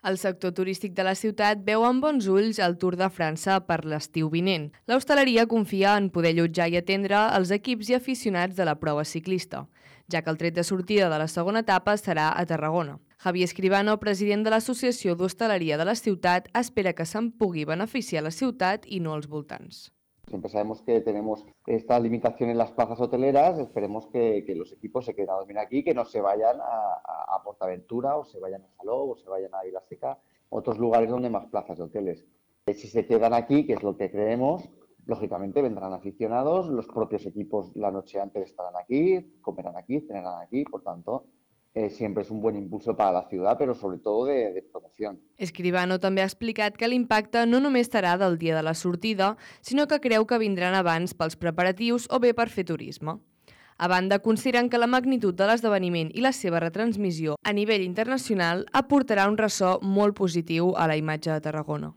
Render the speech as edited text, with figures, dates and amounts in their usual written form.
El sector turístic de la ciutat veu amb bons ulls el Tour de França per l'estiu vinent. L'hostaleria confia en poder allotjar i atendre els equips i aficionats de la prova ciclista, ja que el tret de sortida de la segona etapa serà a Tarragona. Javier Escribano, president de l'Associació d'Hostaleria de la ciutat, espera que se'n pugui beneficiar la ciutat i no els voltants. Siempre sabemos que tenemos esta limitación en las plazas hoteleras, esperemos que los equipos se queden a dormir aquí, que no se vayan a Portaventura o se vayan a Salou o se vayan a Vilaseca, otros lugares donde hay más plazas de hoteles. Si se quedan aquí, que es lo que creemos, lógicamente vendrán aficionados, los propios equipos la noche antes estarán aquí, comerán aquí, cenarán aquí, por tanto, siempre es un buen impulso para la ciudad, pero sobre todo de promoción. Escribano també ha explicat que l'impacte no només serà del dia de la sortida, sinó que creu que vindran abans pels preparatius o bé per fer turisme. A banda, consideren que la magnitud de l'esdeveniment i la seva retransmissió a nivell internacional aportarà un ressò molt positiu a la imatge de Tarragona.